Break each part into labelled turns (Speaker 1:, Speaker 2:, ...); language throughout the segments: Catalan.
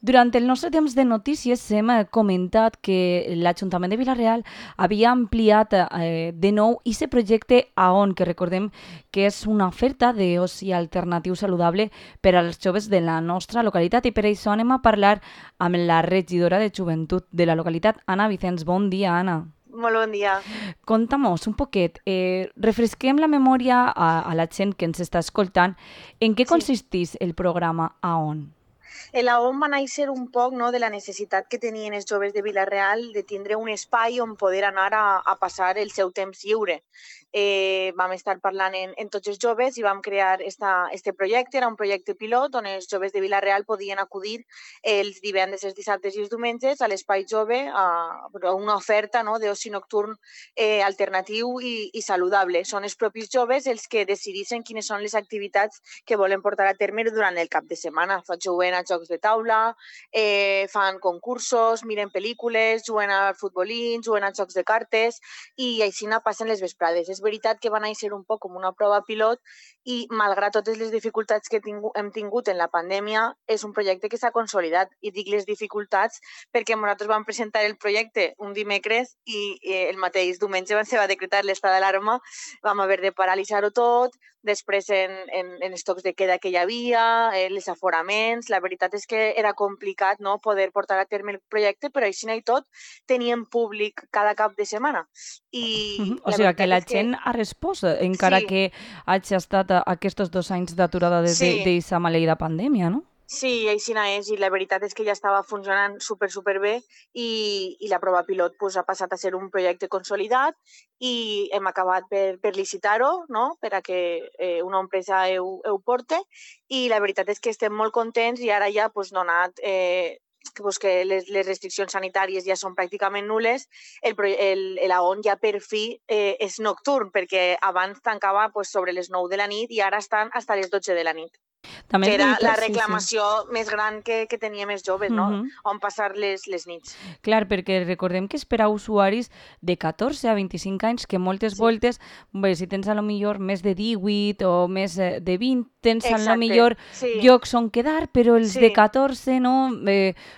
Speaker 1: Durant el nostre temps de notícies hem comentat que l'Ajuntament de Vila-real havia ampliat de nou aquest projecte AON, que recordem que és una oferta d'oci alternatiu saludable per als joves de la nostra localitat, i per això anem a parlar amb la regidora de Joventut de la localitat, Anna Vicens. Bon dia, Anna.
Speaker 2: Molt bon dia.
Speaker 1: Conta'mos un poquet, refresquem la memòria a la gent que ens està escoltant. En què
Speaker 2: Sí.
Speaker 1: consisteix el programa AON?
Speaker 2: La OM va néixer un poc de la necessitat que tenien els joves de Vila-real de tindre un espai on poder anar a passar el seu temps lliure. Vam estar parlant en tots els joves i vam crear este projecte. Era un projecte pilot on els joves de Vila-real podien acudir els divendres, els dissabtes i els diumenges a l'espai jove a una oferta d'oci nocturn alternatiu i saludable. Són els propis joves els que decidissin quines són les activitats que volen portar a terme durant el cap de setmana. Juguen a jocs de taula, fan concursos, miren pel·lícules, juguen al futbolín, juguen a jocs de cartes i així passen les vesprades. És veritat que va néixer un poc com una prova pilot i, malgrat totes les dificultats que hem tingut en la pandèmia, és un projecte que s'ha consolidat. I dic les dificultats perquè nosaltres vam presentar el projecte un dimecres i el mateix diumenge se va decretar l'estat d'alarma, vam haver de paralitzar-ho tot, després en els tocs de queda que hi havia, els aforaments. La veritat és que era complicat poder portar a terme el projecte, però així i tot teníem públic cada cap de setmana. I
Speaker 1: O
Speaker 2: la
Speaker 1: sigui que
Speaker 2: veritat
Speaker 1: la
Speaker 2: és que
Speaker 1: gent ha respost, encara
Speaker 2: sí,
Speaker 1: que hagi estat aquests 2 anys d'aturada
Speaker 2: sí,
Speaker 1: d'aquesta maleïda pandèmia, no?
Speaker 2: sí, així és, i la veritat és que ja estava funcionant superbé i la prova pilot ha passat a ser un projecte consolidat i hem acabat per licitar-ho, per a que una empresa ho porte, i la veritat és que estem molt contents i ara ja donat que les restriccions sanitàries ja són pràcticament nules, l'AON ja per fi és nocturn, perquè abans tancava sobre les 9 de la nit i ara estan fins a les 12 de la nit,
Speaker 1: També
Speaker 2: que
Speaker 1: és
Speaker 2: era la
Speaker 1: veritat, sí, sí.
Speaker 2: reclamació més gran que teníem els joves,
Speaker 1: Mhm.
Speaker 2: on passar les nits.
Speaker 1: Clar, perquè recordem que és per a usuaris de 14 a 25 anys, que moltes
Speaker 2: Sí,
Speaker 1: voltes, bé, si tens a lo millor més de 18 o més de 20, tens a lo
Speaker 2: exacte,
Speaker 1: millor
Speaker 2: sí,
Speaker 1: llocs on quedar, però els de
Speaker 2: sí,
Speaker 1: 14, no?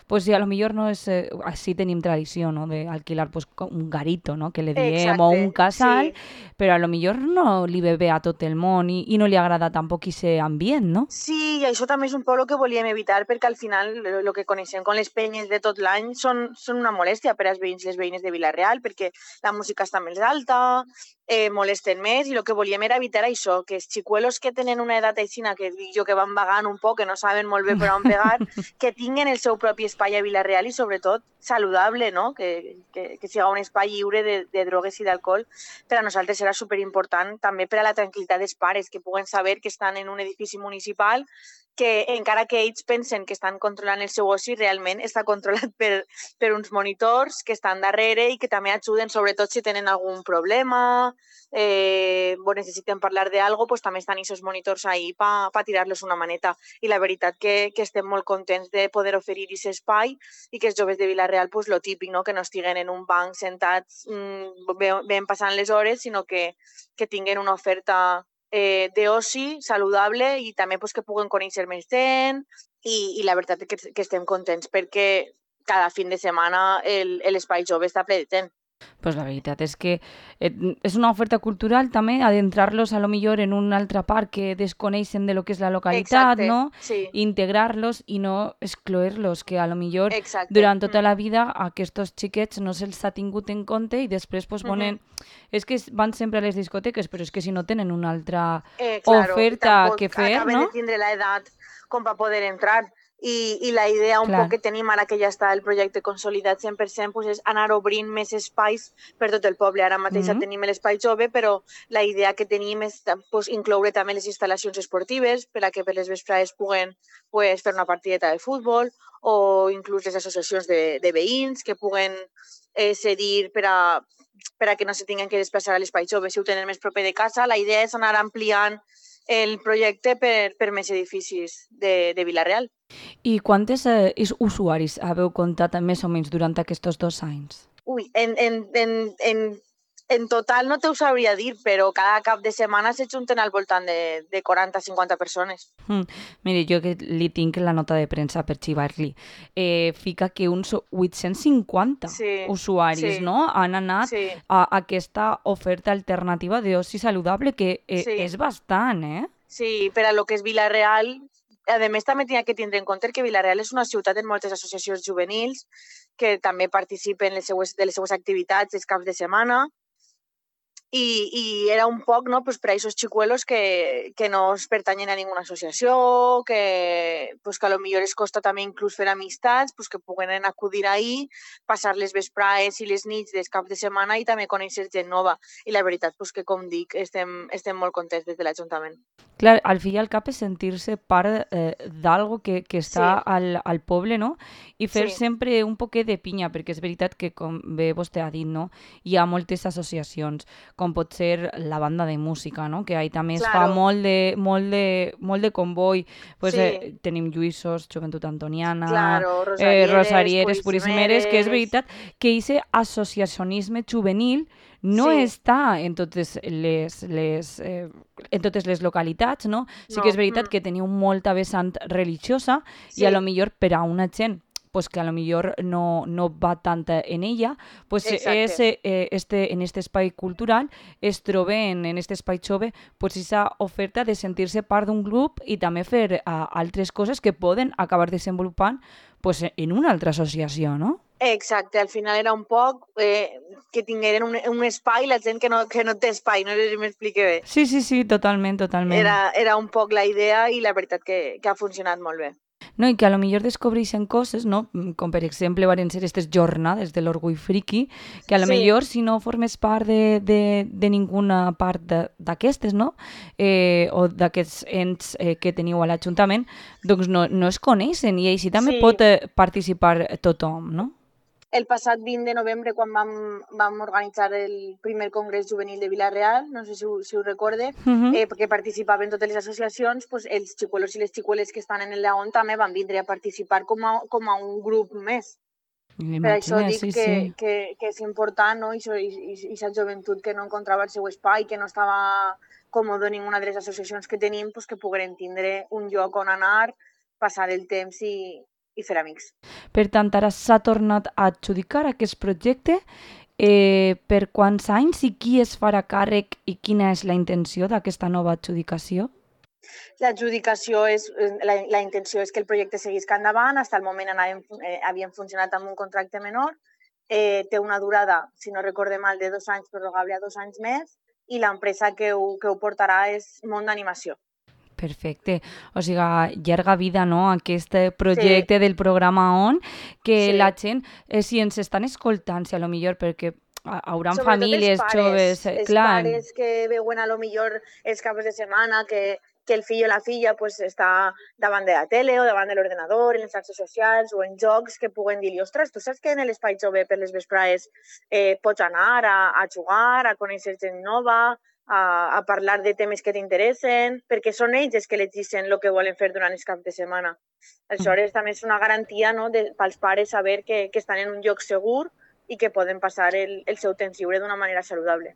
Speaker 1: Pues sí, a lo millor no és... així tenim tradició, no?, d'alquilar pues, un garito, no?, que le diem, o un
Speaker 2: exacte,
Speaker 1: casal,
Speaker 2: sí.
Speaker 1: però a lo millor no li ve bé a tot el món i no li agrada tampoc aquest ambient, no?
Speaker 2: Sí, i això també és un poc el que volíem evitar, perquè al final el que coneixem com les penyes de tot l'any són una molèstia per als veïns i les veïnes de Vila-real, perquè la música està més alta, molesten més, i el que volíem era evitar això, que els xicuelos que tenen una edat aixina, que dic jo que van vagant un poc, que no saben molt bé per on pegar, que tinguin el seu propi espai a Vila-real i sobretot saludable, no? Que siga un espai lliure de drogues i d'alcohol. Per a nosaltres serà superimportant, també per a la tranquil·litat dels pares, que puguen saber que estan en un edifici municipal, que encara que ells pensen que estan controlant el seu oci, realment està controlat per uns monitors que estan darrere i que també ajuden, sobretot si tenen algun problema o necessiten parlar d'algo, pues també estan aquests monitors ahí per tirar-los una maneta. I la veritat que estem molt contents de poder oferir aquest espai i que els joves de Vila-real, pues, lo típic, no? Que no estiguen en un banc sentats ben passant les hores, sinó que tinguen una oferta d'oci saludable i també pues, que puguen conèixer més gent i la veritat és que estem contents perquè cada fin de setmana l'espai jove està ple de gent.
Speaker 1: Pues la veritat és que és una oferta cultural també, adentrar-los a lo millor en un altre parc que desconeixen de lo que és la localitat,
Speaker 2: Exacte,
Speaker 1: no?
Speaker 2: sí,
Speaker 1: Integrar-los i no excloer-los, que a lo millor
Speaker 2: exacte.
Speaker 1: durant tota la vida aquests xiquets no se'ls ha tingut en compte i després pues, és que van sempre a les discoteques, però és que si no tenen una altra
Speaker 2: Claro, i
Speaker 1: oferta que
Speaker 2: tampoc
Speaker 1: fer,
Speaker 2: acaben de
Speaker 1: no?
Speaker 2: tindre l'edat com per poder entrar. I la idea un poc
Speaker 1: Clar.
Speaker 2: que tenim ara que ja està el projecte consolidat 100% pues és anar obrint més espais per tot el poble. Ara mateix ja
Speaker 1: Mm.
Speaker 2: tenim l'espai jove, però la idea que tenim és pues, incloure també les instal·lacions esportives per a que per les vesprades puguen pues, fer una partideta de futbol, o inclús les associacions de veïns que puguen cedir per a que no se tinguin que desplaçar a l'espai jove si ho tenen més proper de casa. La idea és anar ampliant el projecte per més edificis de Vila-real.
Speaker 1: I quantes usuaris haveu comptat més o menys durant aquests 2 anys?
Speaker 2: Ui, en En total no t'ho sabria dir, però cada cap de setmana se junten al voltant de 40-50 persones.
Speaker 1: Mire, jo que li tinc la nota de premsa per xivar-li, fica que uns 850
Speaker 2: Sí,
Speaker 1: usuaris,
Speaker 2: sí,
Speaker 1: no?, han anat
Speaker 2: sí,
Speaker 1: a aquesta oferta alternativa d'oci saludable, que
Speaker 2: sí.
Speaker 1: és bastant, eh?
Speaker 2: Sí, per a lo que és Vila-real, a més també tenia que tindre en compte que Vila-real és una ciutat amb moltes associacions juvenils que també participen de les seues activitats els caps de setmana, i era un poc, no, pues, per a aquests xicuelos que no es pertanyen a ninguna associació, que a lo millor es costa també inclús fer amistats, pues, que puguen acudir ahí, passar les vesprades i les nits dels caps de setmana i també conèixer gent nova. I la veritat, pues, que com dic, estem molt contents des de l'Ajuntament.
Speaker 1: Clar, al fi i al cap és sentir-se part d'algo que està
Speaker 2: Sí,
Speaker 1: al poble, no? I fer
Speaker 2: sí,
Speaker 1: sempre un poquet de pinya, perquè és veritat que, com bé vostè ha dit, no? Hi ha moltes associacions, com pot ser la banda de música, no? Que ahí també es fa
Speaker 2: claro,
Speaker 1: molt de comboi. Pues,
Speaker 2: sí,
Speaker 1: tenim Lluïssos, Joventut Antoniana,
Speaker 2: claro, Rosarieres,
Speaker 1: Rosarieres, Puríssimeres, que és
Speaker 2: Purissimeres,
Speaker 1: veritat que aquest associacionisme juvenil no
Speaker 2: sí,
Speaker 1: està en totes les localitats, no? Sí que és
Speaker 2: no,
Speaker 1: veritat que teniu molta vessant religiosa i a lo
Speaker 2: sí,
Speaker 1: millor per a una gent pues que a lo millor no va tant en ella, pues
Speaker 2: exacte.
Speaker 1: en este espai cultural es troben en este espai jove pues esa oferta de sentir-se part d'un grup i també fer altres coses que poden acabar desenvolupant pues, en una altra associació, no?
Speaker 2: Exacte, al final era un poc que tingueren un espai, la gent que no té espai, no sé si m'explique bé.
Speaker 1: Sí, sí, sí, totalment, totalment.
Speaker 2: Era un poc la idea i la veritat que ha funcionat molt bé.
Speaker 1: No, i que a lo millor descobreixen coses, no? Com per exemple varen ser aquestes jornades de l'orgull friki, que a lo
Speaker 2: Sí,
Speaker 1: millor si no formes part de ninguna part d'aquestes, no? O d'aquests ens que teniu a l'Ajuntament, doncs no es coneixen i així també
Speaker 2: sí,
Speaker 1: pot participar tothom, no?
Speaker 2: el passat 20 de novembre, quan vam organitzar el primer Congrés Juvenil de Vila-real, no sé si ho recorde, perquè participaven totes les associacions, pues, els xicuelos i les xicueles que estan en el León també van vindre a participar com a un grup més. Per això
Speaker 1: Imagina,
Speaker 2: dic
Speaker 1: sí, sí.
Speaker 2: que és important, no? I aquesta joventut que no encontrava el seu espai, que no estava còmode en ninguna de les associacions que tenim, pues, que pogueren tindre un lloc on anar, passar el temps i fer amics.
Speaker 1: Per tant, ara s'ha tornat a adjudicar aquest projecte. Per quants anys i qui es farà càrrec i quina és la intenció d'aquesta nova adjudicació?
Speaker 2: L'adjudicació la intenció és que el projecte seguisca endavant. Fins al moment havien funcionat amb un contracte menor. Té una durada, si no recorde mal, de 2 anys, prorrogable a 2 anys més, i l'empresa que ho portarà és Món d'Animació.
Speaker 1: Perfecte. O sigui, llarga vida, no?, aquest
Speaker 2: Sí,
Speaker 1: projecte del programa ON, que la
Speaker 2: sí.
Speaker 1: gent, si ens estan escoltant, si a lo millor perquè hauran
Speaker 2: Sobretot
Speaker 1: famílies joves,
Speaker 2: els
Speaker 1: clar,
Speaker 2: pares que veuen a lo millor els caps de setmana que el fill o la filla pues, està davant de la tele o davant de l'ordenador, en les xarxes socials o en jocs que puguen dir-li, ostres, tu saps que en l'espai jove per les vesprades pots anar a jugar, a conèixer gent nova, a parlar de temes que t'interessen, perquè són ells els que elegeixen el que volen fer durant els caps de setmana. Això també és una garantia, no, pels pares saber que estan en un lloc segur i que poden passar el seu temps lliure d'una manera saludable.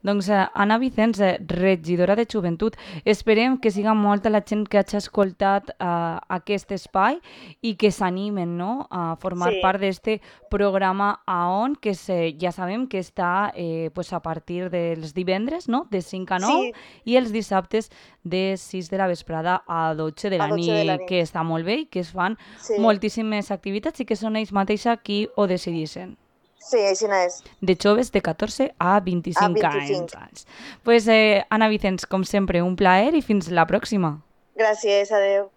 Speaker 1: doncs Anna Vicens, regidora de Joventut, esperem que siga molta la gent que hagi escoltat aquest espai i que s'animen, no?, a formar
Speaker 2: Sí,
Speaker 1: part d'este programa AON, que ja sabem que està pues a partir dels divendres, no?, de 5 a 9
Speaker 2: sí,
Speaker 1: i els dissabtes de 6 de la vesprada a 12 de
Speaker 2: a
Speaker 1: la
Speaker 2: 12 de la
Speaker 1: nit, que
Speaker 2: nit.
Speaker 1: està molt bé i que es fan
Speaker 2: Sí,
Speaker 1: moltíssimes activitats i que són ells mateixos qui ho decideixen.
Speaker 2: sí, així és.
Speaker 1: De joves de 14 a
Speaker 2: A
Speaker 1: 25
Speaker 2: 25.
Speaker 1: anys. Pues, Anna Vicens, com sempre, un plaer i fins la pròxima.
Speaker 2: Gràcies, adeu.